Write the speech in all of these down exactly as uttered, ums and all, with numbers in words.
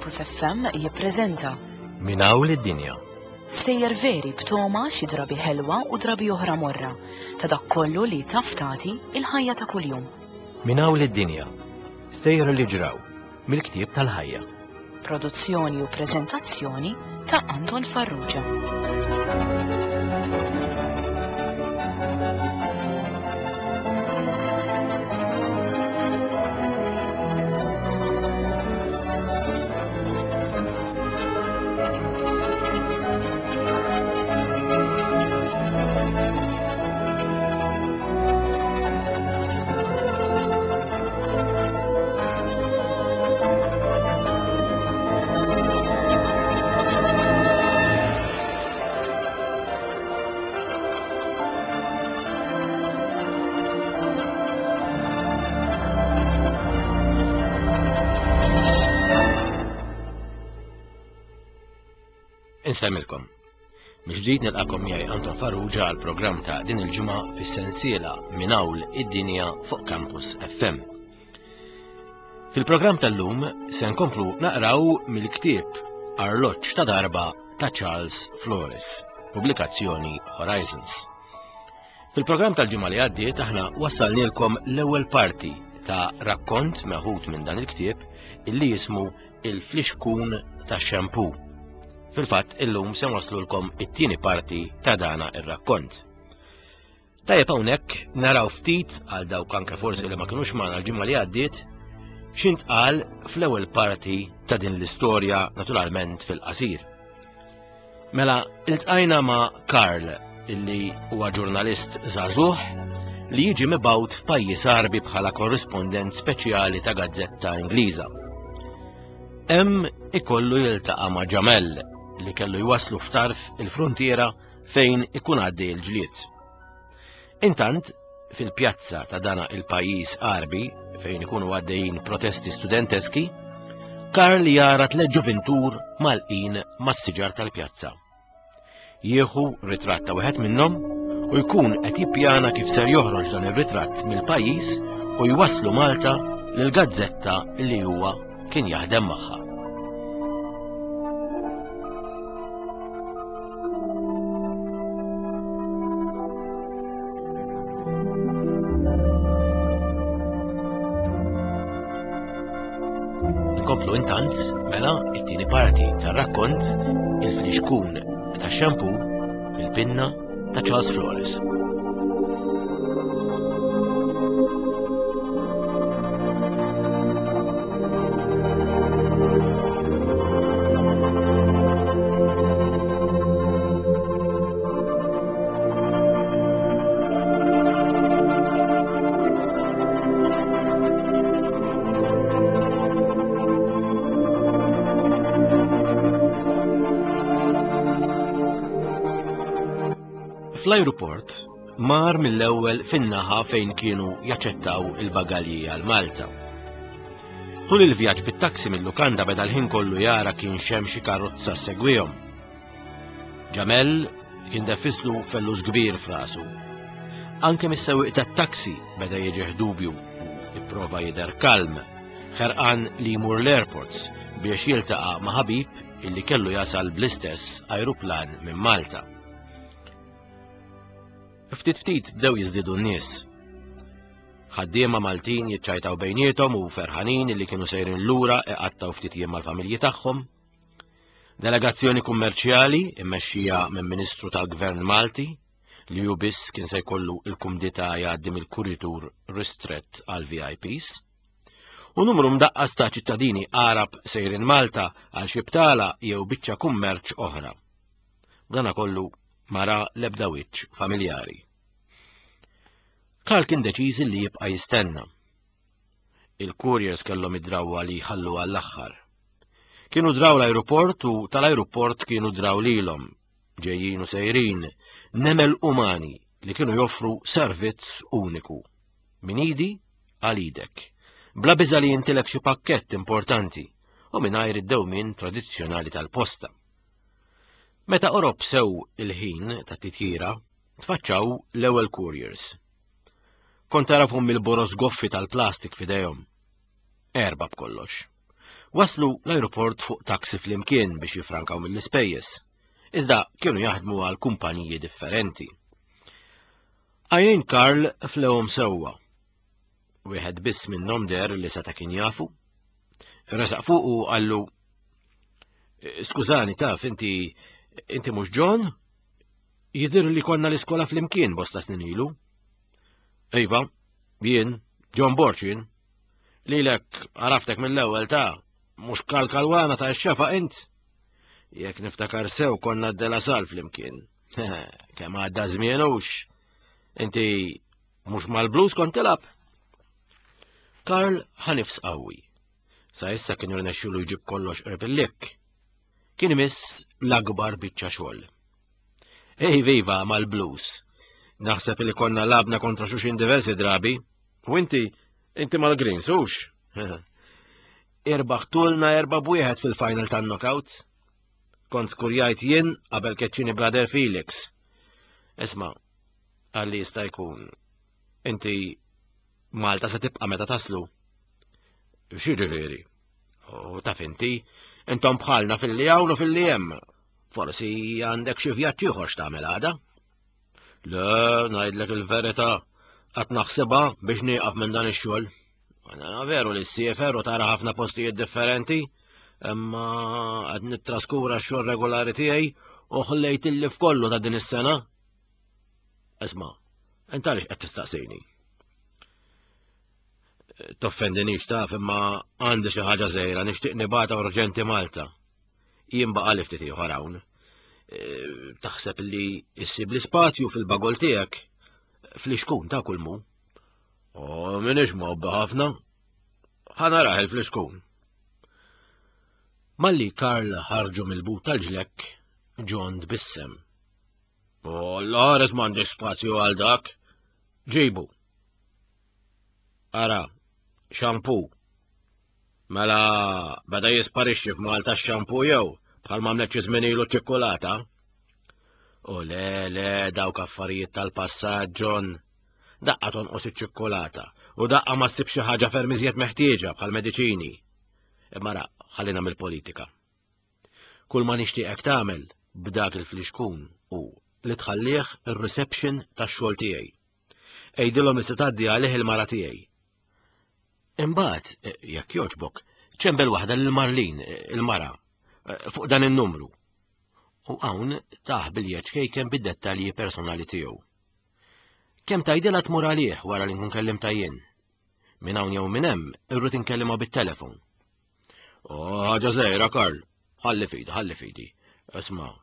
Campus F M jippreżenta Minn hawn id-dinja. Stejjer veri b'togħma xi drabi ħelwa u drabi oħra morra ta' dak kollu li taf tagħti il-ħajja ta' kuljum. Minn hawn id-dinja. Stejjer li ġraw mill-ktieb tal-ħajja. Produzzjoni u preżentazzjoni ta' Anton Farrugia. Insemmilkom. Mill-ġdid nilqakom miegħi Anton Farrugia għal programm ta' din il-ġimgħa fis-sensiela Minn hawn id-dinja fuq Campus F M. Fil-programm tal-lum se nkomplu naqraw mill-ktieb Arloġġ ta' darba ta' Charles Flores, pubblikazzjoni Horizons. Fil-programm tal-ġimgħa li għaddiet aħna wassalnilkom l-ewwel parti ta' rakkont meħud minn dan il-ktieb illi jismu Il-Flixkun tax-Xampù. Fil-fatt illum se waslulkom it-tieni parti ta' dana ir-rakkont. Tajjeb hawnhekk naraw ftit għal dawk anke forsi li ma kinux magħna l-ġimgħa li għaddiet x'intqal fl-ewwel parti ta' din l-istorja, naturalment fil-qasir. Mela, iltqajna ma' Karl, illi huwa ġurnalist żagħżugħ li jiġi mibgħut f'pajjiż Għarbi bħala korrispondent speċjali ta' gazzetta Ingliża. Hemm ikollu jiltaqa' ma' Ġamel li kellu jwaslu f'tarf il-frontiera fejn ikun għaddej il-ġlied. Intant, fil-pjazza ta' dana il-pajjiż Għarbi fejn ikunu għaddejjin protesti studenteski, Karl jara tliet ġuvintur mgħallqin mas-siġar tal-pjazza. Jieħu ritratt ta' wieħed minnhom u jkun qed jippjana kif ser joħroġ dan ir-ritratt mill-pajjiż u jwaslu Malta lil gazzetta li huwa kien jaħdem magħha. Nkomplu intant mela it-tieni parti tar-rakkont Il-Flixkun tax-Xampù fil-pinna ta' Charles Flores. Fl-ajruport mar mill-ewwel fin-naħa fejn kienu jaċċettaw il-bagalji għal Malta. Tul il-vjaġġ bit-taxi mill-lukanda beda l-ħin kollu jara kienx hemm xi karozza segwihom. Ġamel kien defislu fellus kbir f'rasu. Anke mis-sewwieq tat-taxi beda jiġih dubju u ipprova jidher kalm, ħerqan li jmur l-airports biex jiltaqa' ma' ħabib illi kellu jasal bl-istess ajruplan minn Malta. Ftit ftit bdew jiżdiedu n-nies. Ħaddiema Maltin jiċċajtaw bejniethom u ferħanin li kienu sejrin lura iqattaw ftit jiem mal-familji tagħhom. Delegazzjoni kummerċjali immexxija minn Ministru tal-Gvern Malti li hu biss kien se jkollu il-kumdità jgħaddi mill-kuritur ristrett għal V I Ps. U numru mdaqqas ta' ċittadini Arab sejrin Malta għal xi btala jew biċċa kummerċ oħra. B'dana kollu ma ra l-ebda wiċċ familjari. Karl kien deċiż li jibqa' jistenna. Il-couriers kellhom id-drawwa li jħallu għall-aħħar. Kienu draw l-aeroport u tal-aeroport kienu draw lilhom, ġejjin u sejrin, nemel umani li kienu joffru servizz uniku. Min idi għal idek. Bla biża li jintilef xi pakkett importanti u mingħajr id-dewmien tradizzjonali tal-posta. Meta qorob sew il-ħin ta' titjira, tfaċċaw l-ewwel couriers. Kont tarafhom mill-boroż goffi tal-plastik f'idejhom. Erba b'kollox. Waslu l-aeroport fuq taksi flimkien biex jifrankaw mill-ispejjeż. Iżda kienu jaħdmu għal kumpaniji differenti. Għajnejn Karl flewhom sewwa. Wieħed biss minnhom deher li seta' kien jafu. Resaq fuq u qallu: "Skużani, taf, inti inti mhux John? Jidher li konna l-iskola flimkien bosta snin ilu." "Iva, jien, John Borg jien. Lilek għaraftek mill-ewwel ta' mhux kalkalwana ta' x-xafa int. Jekk niftakar sew konna d-Dela Sal flimkien. Kemm għadda żmien hux. Inti mhux mal-Blues kont tilgħab?" Karl ħa nifs qawwi. Sa issa kien irnexxielu jġib kollox qrib il-likk. Kien imiss l-akbar biċċa xogħol. "Ej viva mal-Blues. Naħseb li konna labna kontra xulxin diversi drabi. U inti, inti mal-Greens, hux? Irbaħtulna erba' b'wieħed fil-final tan-knockouts. Kont skurjajt jien qabel keċċini Brother Felix. Isma', għalli jista' jkun. Inti Malta se tibqa' meta taslu." "X'jiġifieri?" "U taf inti, intom bħalna fil-li hawn u fil-li hemm. Forsi għandek xi vjaġġ ieħor x'tagħmel għada." "Le, ngħidlek il-verità, qatt naħsibha biex nieqaf minn dan ix-xogħol. Għana veru li ssiefer u tara ħafna postijiet differenti, imma qed nittraskura x-xogħol regolari tiegħi u ħlejt il-lif kollu ta' din is-sena. Isma', int għaliex qed tistaqsini?" "Toffendinix taf, imma għandi xi ħaġa żgħira nixtieq nibgħatha urġenti Malta. Jien baqa' li ftit ieħor hawn. E, taħseb li issib l-ispazju fil-bagol tiegħek fl-ixkun ta' kull mu?" "O, minix mgħobbi ħafna. Ħa narah il-flixkun." Malli Karl ħarġu mill-but tal-ġlekk, John tbissem. "O, l-ħares m'għandix spazju għal dak. Ġibu. Ara, xampu. Mela beda jisparixxi f'Malta x-xampu jew bħal m'għamlet xi żmien ilu ċ-ċikkulata?" "O le, le, dawk affarijiet tal-passat, John. Daqqa tonqos iċ-ċikkulata u daqqa ma ssib xi ħaġa ferm iżjed meħtieġa bħal mediċini. Imma ra, ħallina mill-politika. Kull ma nixtieqek tagħmel b'dak il-flixkun u li tħallih ir-reception tax-xogħol tiegħi. Għidilhom li se tgħaddi għalih il-mara tiegħi. Imbagħad, jekk jogħġbok, ċembel waħda lil Marlin, il-mara, fuq dan in-numru." U hawn taħ biljeċ kejken bid-dettalji personali tiegħu. "Kemm tgħidilha tmur għalih wara li nkun kellimtha jien? Minn hawn jew minn hemm irrid inkellimha bit-telefon." "O, ħaġa żgħira, Karl. Ħalli fidi, ħalli fidi. Isma',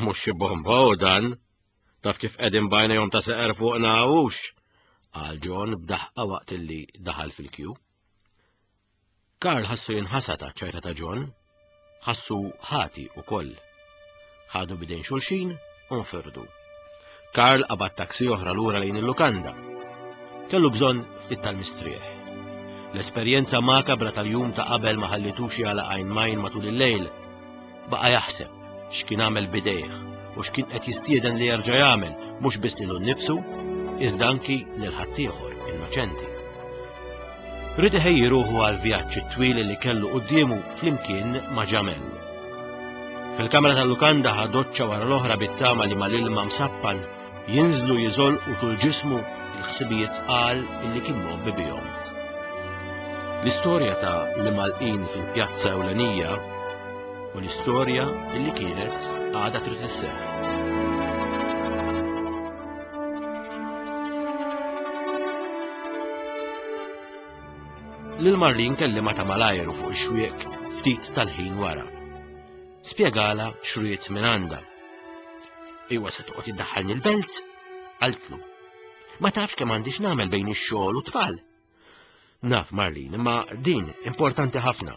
mhux xi bomba u dan. Taf kif qegħdin bajna jom ta' seqer fuqna hux?" qal John b'daħqa waqt illi daħal fil-kju. Karl ħassu jinħasad għaċ-ċajta ta' John, ħassu ħati ukoll. Ħadu bidejn xulxin u nfirdu. Karl qabad taksi oħra lura lejn il-lukanda. Kellu bżonn ftit tal-mistrieħ. L-esperjenza makabra tal-jum ta' qabel ma ħallitux jagħlaq għajn majn matul il-lejl. Baqa' jaħseb x'kien għamel bidejh u x'kien qed jistieden li jerġa' jagħmel mhux biss lilu nnifsu, iżda anki lil ħaddieħor innoċenti. Ried iħejji ruħu għal vjaġġ it-twil li kellu quddiemu flimkien ma' Ġamel. Fil-kamra tal-lukanda ħa doċċa wara l-oħra bit-tama li mal-ilma msappan jinżlu jiżolqu tul ġismu il-ħsibijiet tqal illi kien mgħobbi bihom. L-istorja ta' l-imgħallqin fil-pjazza ewlenija u l-istorja illi kienet għadha trid isseħħ. Lil Marlin kellimha ta' malajru fuq ix-xwiek ftit tal-ħin wara. Spjegala x'ried minn għandha. "Iwa se toqgħod iddaħħalni l-belt?" qaltlu. "Ma tafx kemm għandix nagħmel bejn ix-xogħol u t-tfal." "Naf, Marlin, imma din importanti ħafna."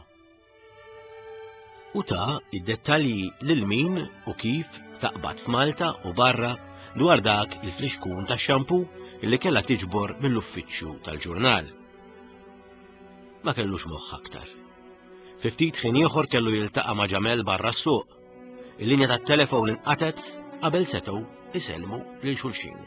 U ta' id-dettalji lil min u kif taqbad f'Malta u barra dwar dak il-flixkun tax-xampu li kellha tiġbor mill-uffiċċju tal-ġurnal. Ma kellux moħħ aktar. Fi ftit ħin ieħor kellu jiltaqa' ma' Ġamel barra s-suq. Il-linja tat-telefon inqatgħet qabel setgħu isellmu lil xulxin.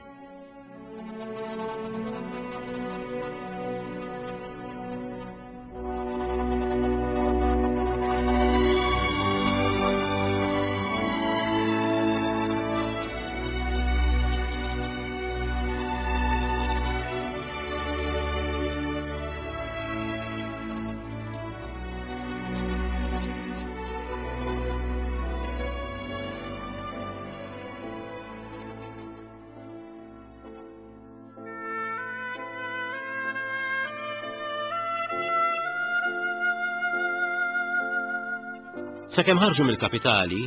Sakemm ħarġu mill-kapitali,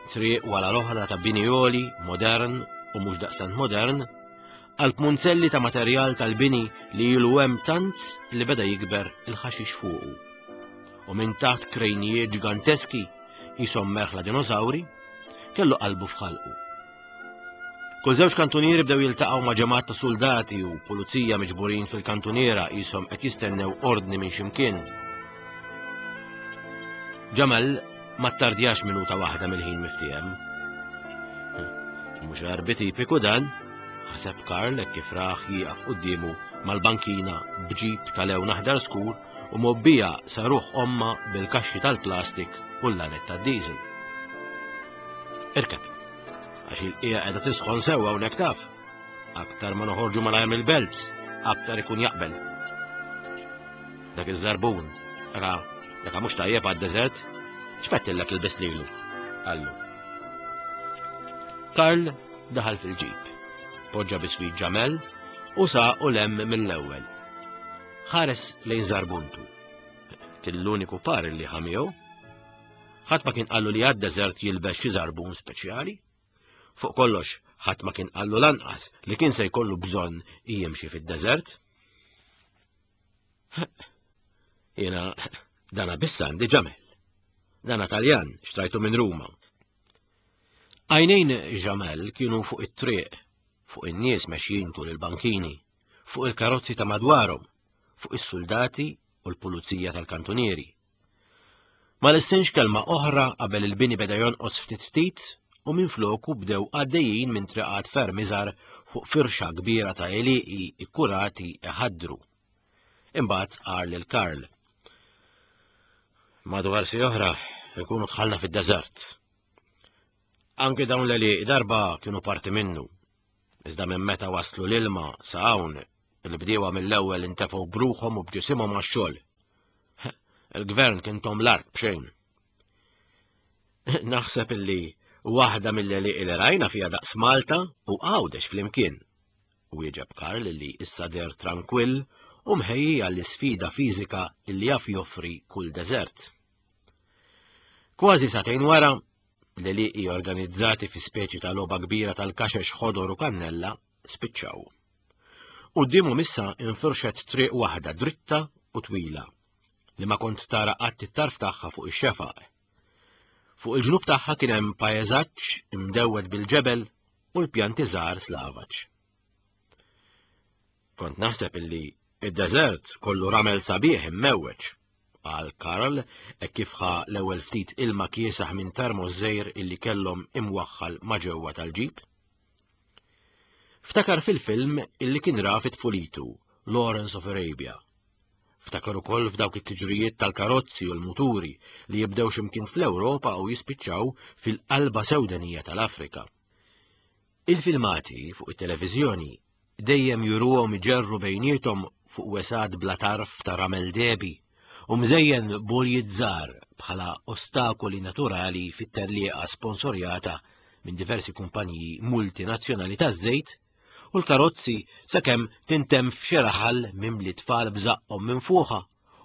triq wara l-oħra ta' bini għoli, modern u mhux daqstant modern, qalb munzelli ta' materjal tal-bini li ilu hemm tant li beda jikber il-ħaxix fuqu. U minn taħt krejnijiet ġiganteski qishom merħla dinosawri, kellu qalbu f'ħalqu. Kull żewġ kantunieri bdew jiltaqgħu ma' ġemgħat ta' suldati u pulizija miġburin fil-kantuniera qishom qed jistennew ordni minn x'imkien. Ġamel ma ttardjax minuta waħda mill-ħin miftiehem. Mhux Għarbi tipiku dan, ħaseb Karl hekk kif rah jieqaf quddiemu mal-bankina b'ġip ta' lewn aħdar skur u mgħobbija sa ruħ ommha bil-kaxxi tal-plastik u l-lanet tad-diesel. Irkeb, għax il-qiegħa qiegħda tisħon sewwa hawnhekk taf. Aktar ma noħorġu malajr mill-belt, aktar ikun jaqbel. Dak iż-żarbun, ra, dak mhux tajjeb għad-deżert, x'fettillek ilbis lilu, qallu. Karl daħal fil-ġip, poġġa biswit Ġamel u saqu 'l hemm mill-ewwel. Ħares lejn żarbuntu. Kien l-uniku par li ħa miegħu. Ħadd ma kien qallu li għad-deżert jilbes xi żarbun speċjali. Fuq kollox, ħadd ma kien qallu lanqas li kien se jkollu bżonn jimxi fid-deżert. Jiena dana biss għandi Ġamel. Dana Taljan, xtrajtu minn Ruma. Għajnejn Ġamel kienu fuq it-triq, fuq in-nies mexjin tul il-bankini, fuq il-karozzi ta' madwarhom, fuq is-suldati u l-pulizija tal-kantunieri. Ma lissinx kelma oħra qabel il-bini beda jonqos ftit ftit u minfloku bdew għaddejjin minn triqat ferm iżgħar fuq firxa kbira ta' għelieqi ikkurati iħaddru. Imbagħad qal lil Karl. Madwar siegħa oħra nkunu dħalna fid-deżert. Anki dawn l-għelieqi darba kienu parti minnu. Iżda minn meta waslu l-ilma sa hawn, il-bdiewa mill-ewwel intefgħu b'ruħhom u b'ġisimhom għax-xogħol. Il-gvern kien tahom l-art b'xejn. Naħseb illi waħda mill-għelieqi li rajna fiha daqs Malta u Għawdex flimkien. Wieġeb Karl li issa deher trankwill u mħejji għall-isfida fiżika illi jaf joffri kull deżert. Kważi sagħtejn wara, l-għelieqi organizzati fi speċi ta' logħba kbira tal-kaxex ħodor u kannella spiċċaw. Quddiemhom issa infirxet triq waħda dritta u twila li ma kont tara qatt it-tarf tagħha fuq ix-xefaq. Fuq il-ġnub tagħha kien hemm pajjeżaġġ imdewwed bil-ġebel u l-pjanti żgħar slavaġ. Kont naħseb illi id-deżert kollu ramel sabiħ immewweġ, qal Karl hekk kif ħa l-ewwel ftit ilma kiesaħ minn termos żgħir illi kellhom imwaħħal ma' ġewwa tal-ġip. Ftakar fil-film illi kien ra fi tfulitu, Lawrence of Arabia. Ftakar ukoll f'dawk it-tiġrijiet tal-karozzi u l-muturi li jibdew x'imkien fl-Ewropa u jispiċċaw fil-qalba sewdenija tal-Afrika. Il-filmati fuq it-televiżjoni dejjem juruhom iġerru bejniethom fuq wesgħat bla tarf ta' ramel dehbi u mżejjen b'għoljiet żgħar bħala ostakoli naturali fit-tellieqa sponsorjata minn diversi kumpaniji multinazzjonali taż-żejt u l-karozzi sakemm tintemm f'xi raħal mimli tfal b'żaqqhom minfuħa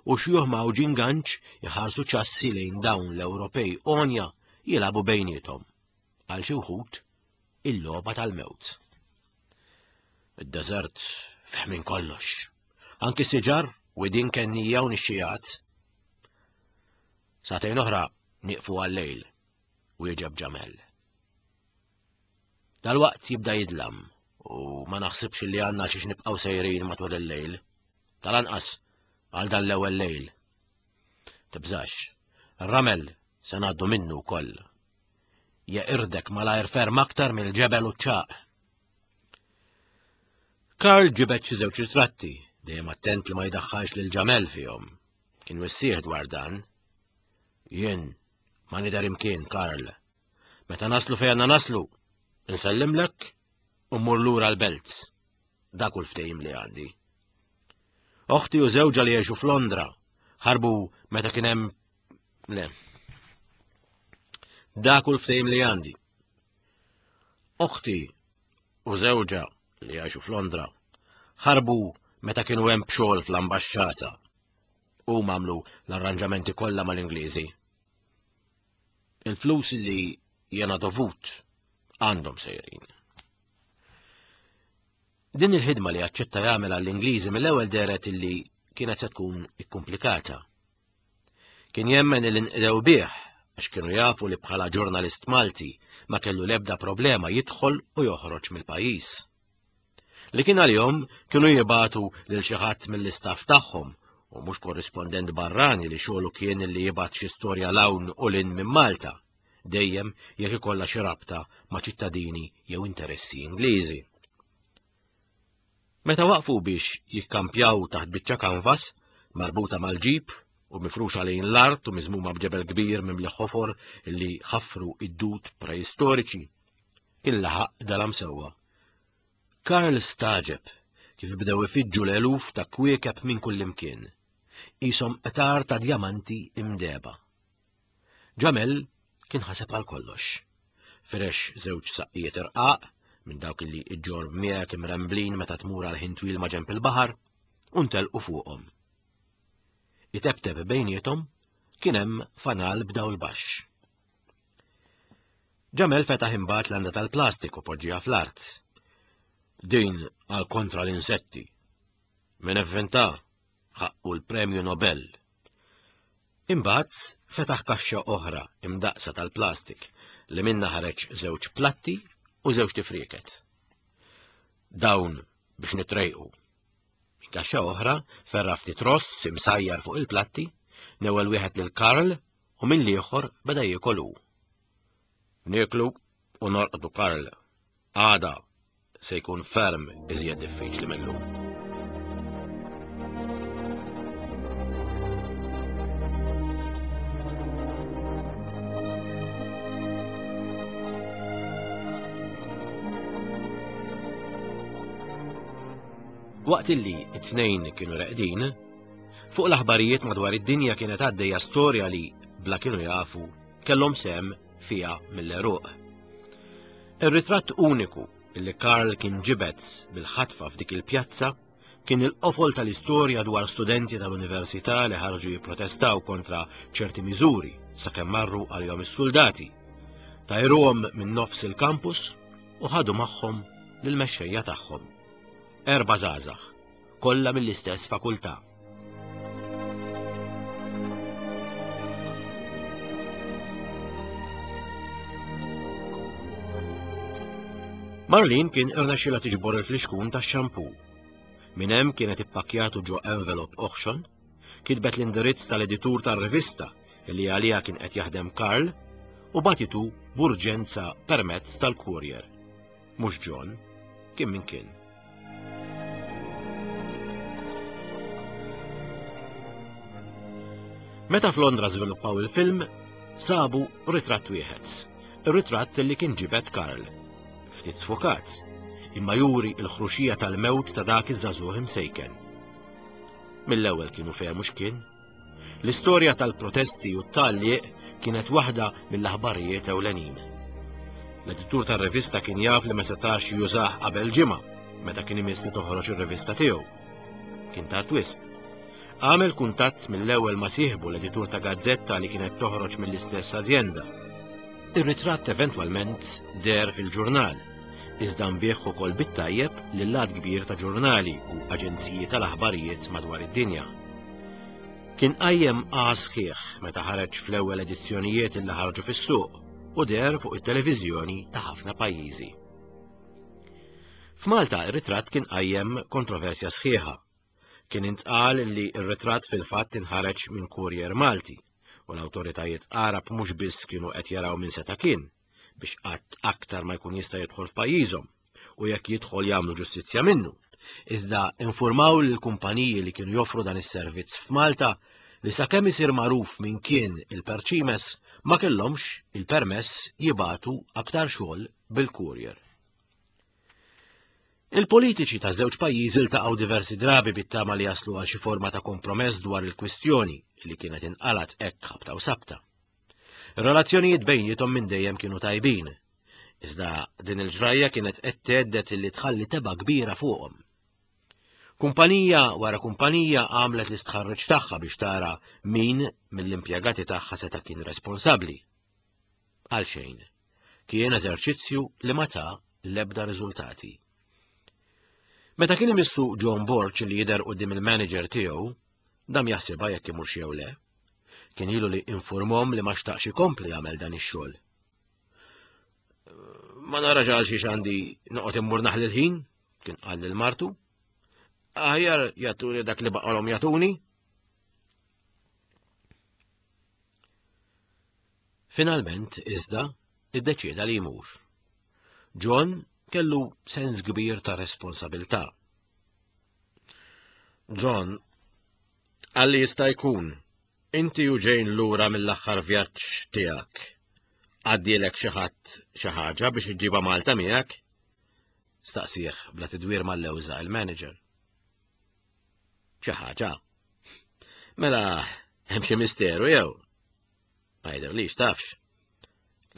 u xjuħ mgħawġin ganċ iħarsu ċassi lejn dawn l-Ewropej għonja jilagħbu bejniethom. Għal xi wħud il-logħba tal-mewt. Id-deżert fih minn kollox. Anki siġar, widien kennija u nixxijat. Sagħtejn oħra nieqfu għal-lejl, wieġeb Ġamel. Dalwaqt jibda jidlam u ma naħsibx li għandna xiex nibqgħu sejrin matul il-lejl. Tal-anqas għal dan l-ewwel lejl. Tibżax, ir-ramel se ngħaddu minnu wkoll. Jeqirdek malajr ferm aktar mill-ġebel u ċ-ċagħaq. Karl ġibed xi żewġ ritratti, dejjem attent li ma jdaħħalx lil Ġamel fihom. Kien wissih dwar dan. Jien ma nidher imkien, Karl. Meta naslu fejn għandna naslu, insellimlek u mmur lura l-belt. Dak hu l-ftehim li għandi. Oħti u żewġha li jgħixu f'Londra ħarbu meta kien hemm le. Dak hu l-ftehim li għandi. Oħti u żewġha li jgħixu f'Londra ħarbu meta kienu hemm b'xogħol fl-ambaxxata. Huma għamlu l-arranġamenti kollha mal-Ingliżi. Il-flus li jena dovut għandhom sejrin. Din il-ħidma li aċċetta jagħmel għall-Ingliżi mill-ewwel dehret illi kienet se tkun ikkumplikata. Kien jemmen li nqdew bih għax kienu jafu li bħala ġurnalist Malti ma kellu l-ebda problema jidħol u joħroġ mill-pajjiż. Li kien għalihom kienu jibagħtu lil xi ħadd mill-istaff tagħhom u mhux korrispondent barrani li xogħlu kien li jibgħat xi storja 'l hawn u 'l hinn minn Malta, dejjem jekk ikollha xi rabta ma' ċittadini jew interessi Ingliżi. Meta waqfu biex jikkampjaw taħt biċċa kanvas, marbuta mal-ġip u mifruxa lejn l-art u miżmuma b'ġebel kbir mimli ħofor li ħafru id-dud preistoriċi, kien laħaq dalam sewwa. Karl stagħġeb kif bdew ifiġġu l-eluf ta' kwiekeb minn kullimkien, qishom qtar ta' djamanti imdehba. Ġamel kien ħaseb għal kollox. Firex żewġ saqqijiet irqaq minn dawk li iġġorr miegħek imremblin meta tmur għal ħin twil ma' ġenb il-baħar u ntelqu fuqhom. Itebteb bejniethom kien hemm fanal b'dawl baxx. Ġamel fetaħ imbagħad landa tal-plastik u poġġiha fl-art. Din għal kontra l-insetti. Min ivvinta ħaqqu l-Premju Nobel. Imbagħad fetaħ kaxxa oħra imdaqsa tal-plastik li minna ħareġ żewġ platti u żewġ tifrieket. Dawn biex nitrejqu. Minn kaxxa oħra ferra ftit ross imsajjar fuq il-platti, newel wieħed lil Karl u minn l-ieħor beda jiekol hu. Nieklu u norqdu Karl. Għada se jkun ferm iżjed diffiċli mill-lum. Waqt illi it-tnejn kienu reqdin, fuq l-aħbarijiet madwar id-dinja kienet għaddejja storja li, bla kienu jafu, kellhom sehem fiha mill-għeruq. Ir-ritratt uniku li Karl kien ġibed bil-ħatfa f'dik il-pjazza kien il-qofol tal-istorja dwar studenti tal-università li ħarġu jipprotestaw kontra ċerti miżuri sakemm marru għalihom is-soldati. Tajruhom minn nofs il-kampus u ħadu magħhom lill-mexxejja tagħhom. Erba' żgħażagħ, kollha mill-istess fakultà. Marlene kien irnexxilha tiġbor il-flixkun tax-xampu. Minn hemm kienet ippakkjatu ġo envelop oħxon, kitbet l-indirizz tal-editur tar-rivista li għaliha kien qed jaħdem Karl u bagħtitu b'urġenza permezz tal-courier. Mhux John, kien min kien. Meta f'Londra żviluppaw il-film, sabu ritratt wieħed, ir-ritratt li kien ġibed Karl. Ftit sfokat, imma juri l-ħruxija tal-mewt ta' dak iż-żagħżugħ imsejken. Mill-ewwel kienu fehmu x'kien. L-istorja tal-protesti u t-tgħalliq kienet waħda mill-aħbarijiet ewlenin. L-editur tar-rivista kien jaf li ma setax jużah qabel ġimgħa meta kien imiss li toħroġ ir-rivista tiegħu. Kien tard wisq. Għamel kuntatt mill-ewwel ma' sieħbu l-editur ta' gazzetta li kienet toħroġ mill-istess azjenda. Ir-ritratt eventwalment deher fil-ġurnal, iżda nbigħ ukoll bit-tajjeb lil għadd kbir ta' ġurnali u aġenziji tal-aħbarijiet madwar id-dinja. Kien qajjem sħiħ meta ħareġ fl-ewwel edizzjonijiet li ħarġu fis-suq u deher fuq it-televiżjoni ta' ħafna pajjiżi. F'Malta ir-ritratt kien qajjem kontroversja sħiħa. Kien intqal li r-ritratt fil-fatt inħareġ minn courier Malti u l-awtoritajiet Arab mhux biss kienu qed jaraw minn seta' kien biex qatt aktar ma jkun jista' jidħol f'pajjiżhom u jekk jidħol jagħmlu ġustizzja minnu. Iżda informaw lill-kumpaniji li kienu joffru dan is-servizz f'Malta li sakemm isir magħruf minn kien il-perċimes ma kellhomx il-permess jibagħtu aktar xogħol bil-courier. Il-politiċi ta' żewġ pajjiżi ltaqgħu diversi drabi bit-tama li jaslu għal xi forma ta' kompromess dwar il-kwistjoni li kienet inqalat hekk ħabta u sabta. Ir-relazzjonijiet bejniethom minn dejjem kienu tajbin, iżda din il-ġrajja kienet qed thedded li tħalli tebgħa kbira fuqhom. Kumpanija wara kumpanija għamlet l-istħarriġ tagħha biex tara min mill-impjegati tagħha seta' kien responsabbli. Għalxejn. Kien eżerċizzju li ma ta l-ebda riżultati. Meta kien imissu John Borg li jidher quddiem il-manager tiegħu, dam jaħsibha jekk imurx jew le. Kien ilu li informhom li ma xtaqx ikompli jagħmel dan ix-xogħol. Ma narax għal xiex għandi noqgħod immur naħli l-ħin, kien qal lil martu. Aħjar jagħtuni dak li baqalhom jagħtuni. Finalment, iżda, iddeċieda li jmur. John kellu sens kbir ta' responsabilità. John, għalli jista' jkun, inti u Jane lura mill-aħħar vjaġġ tiegħek. Għaddielek xi ħadd xi ħaġa biex iġġibha Malta miegħek? Staqsih bla tidwir mal-lewża il-manager. Xi ħaġa? Mela, hemm xi misteru jew? Ma jidhirlix tafx.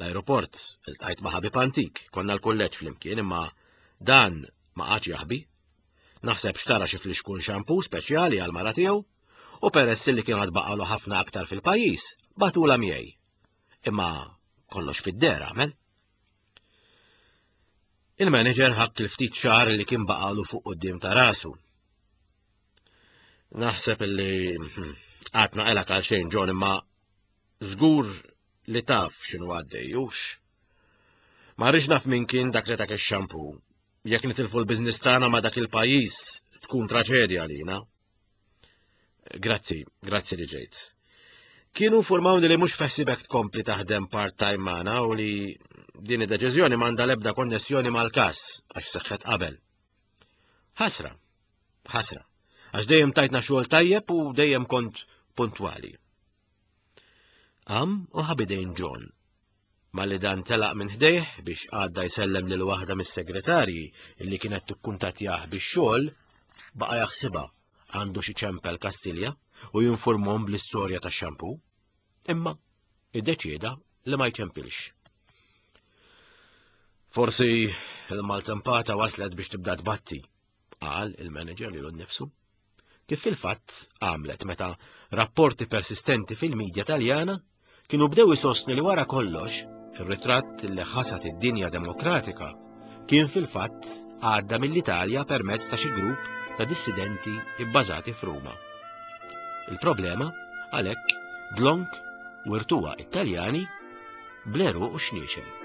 L-aeroport iltqajt ma' ħabib antik, konna l-kulleġġ flimkien, imma dan ma qagħadx jaħbi. Naħseb xtara xi flixkun xampu speċjali għal mara tiegħu u peress li kien għad baqgħalu ħafna aktar fil-pajjiż, batula miegħi. Imma kollox fid-dehra għamel. Il-manager ħakk il-ftit xahar li kien baqgħalu fuq quddiem ta' rasu. Naħseb illi qatt naqelek għal xejn John, imma żgur li taf x'inhu għaddej, hux. Ma rridx naf min kien dak li dak ix-xampu. Jekk nitilfu l-biżnis tagħna ma' dak il-pajjiż tkun traġedja għalina. Grazzi, grazzi li ġejt. Kienu informawni li mhux feħsibek tkompli taħdem part-time magħna u li din id-deċiżjoni m'għandha l-ebda konnessjoni mal-każ għax seħħet qabel. Ħasra, ħasra, għax dejjem tajtna xogħol tajjeb u dejjem kont puntwali. Qam u ħabidejn John. Malli dan telaq minn ħdejh biex għadda jsellem lil waħda mis-segretarji illi kienet tikkuntattjah bix-xogħol, baqa' jaħsibha għandu xi ċempel Kastilja u jinformhom bl-istorja tax-xampu. Imma iddeċieda li ma jċempilx. Forsi il-maltempata waslet biex tibda tbatti, qal il-manager lilu nnifsu. Kif fil-fatt għamlet meta rapporti persistenti fil-medja Taljana kienu bdew isostnu li wara kollox ir-ritratt li ħasat id-dinja demokratika kien fil-fatt għadda mill-Italja permezz ta' xi grupp ta' dissidenti bbażati f'Ruma. Il-problema għalhekk dlonk wirtuha Italjani bleru u xniexel.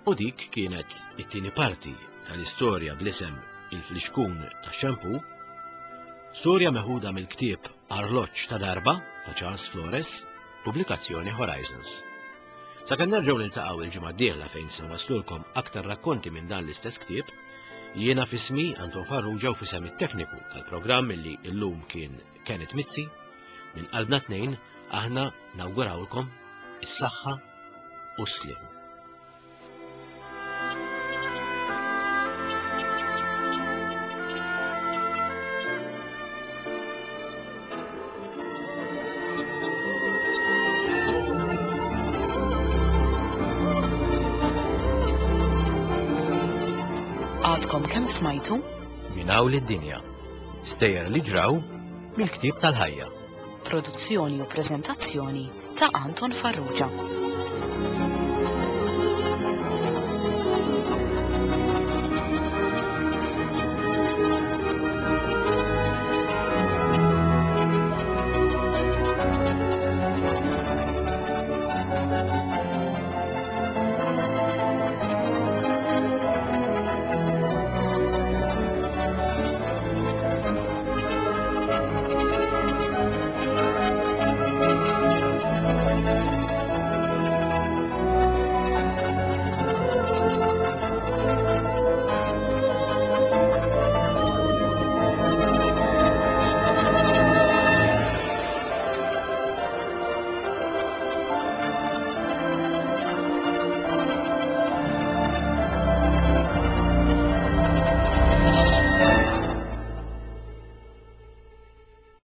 U dik kienet it-tieni parti tal-istorja bl-isem Il-Flixkun tax-Xampu, storja meħuda mill-ktieb Arloġġ ta' Darba ta' Charles Flores, pubblikazzjoni Horizons. Sakemm nerġgħu niltaqgħu il-ġimgħa d-dieħla fejn se nwaslulkom aktar rakkonti minn dan l-istess ktieb, jiena f'ismi Anton Farrugia u f'isem it-tekniku tal-programm illi llum kien Kenneth Mizzi, minn qalbna tnejn aħna nawgurawlkom is-saħħa u s-sliem. Għadkom kemm smajtu? Minn hawn lid-dinja. Stejjer li ġraw mill-ktieb tal-ħajja. Produzzjoni u preżentazzjoni ta' Anton Farrugia.